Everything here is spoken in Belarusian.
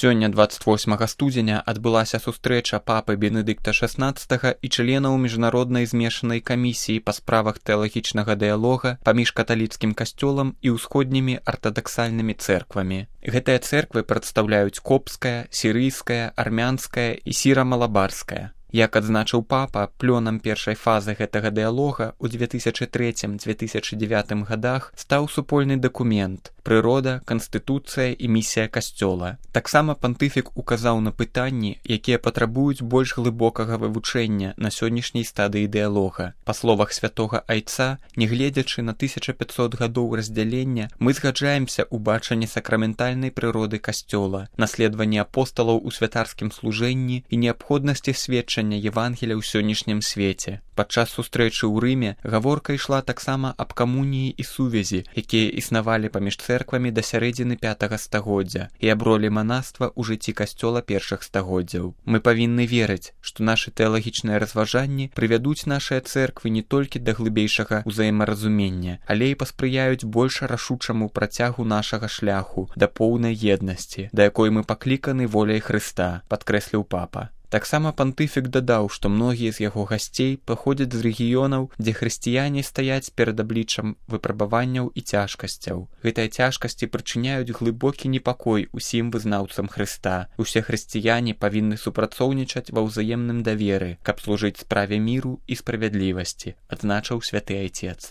Сёння 28 студзеня адбылася сустрэча папы Бенедыкта XVI і членаў міжнароднай змешанай камісіі па справах тэалагічнага дыялога паміж каталіцкім касцёлам і ўсходнімі артадаксальнымі цэрквамі. Гэтыя цэрквы прадстаўляюць копская, сірыйская, армянская і сіра-малабарская. Як адзначыў папа, плёнам першай фазы гэтага дыялога ў 2003-2009 годах стаў супольны дакумент «Прырода, канстытуцыя і місія касцёла». Таксама пантыфік указаў на пытанні, якія патрабуюць больш глыбокага вывучэння на сённяшняй стадыі дыялога. Па словах святога айца, нягледзячы на 1500 гадоў раздзялення, мы згаджаемся ў бачанні сакраментальнай прыроды касцёла, наследаванні апосталаў у святарскім служэнні і неабходнасці сведчання Евангелія ў сённяшнім свеце. Падчас сустрэчы ў Рыме гаворка ішла таксама аб камуніі і сувязі, якія існавалі паміж цэрквамі да сярэдзіны 5 стагоддзя і аб ролі манаства ў жыцці касцёла першых стагоддзяў. Мы павінны верыць, што нашы тэалагічныя разважанні прывядуць нашыя цэрквы не толькі да глыбейшага ўзаемаразумення, але і паспрыяюць больш рашучаму працягу нашага шляху да поўнай еднасці, да якой мы пакліканы воляй Хрыста, падкрэсліў папа. Таксама пантыфік дадаў, што многія з яго гасцей паходзяць з рэгіёнаў, дзе хрысціяне стаяць перад абліччам выпрабаванняў і цяжкасцяў. Гэтыя цяжкасці прычыняюць глыбокі непакой усім вызнаўцам Хрыста. Усе хрысціяне павінны супрацоўнічаць ва ўзаемным даверы, каб служыць справе міру і справядлівасці, адзначыў святы айцец.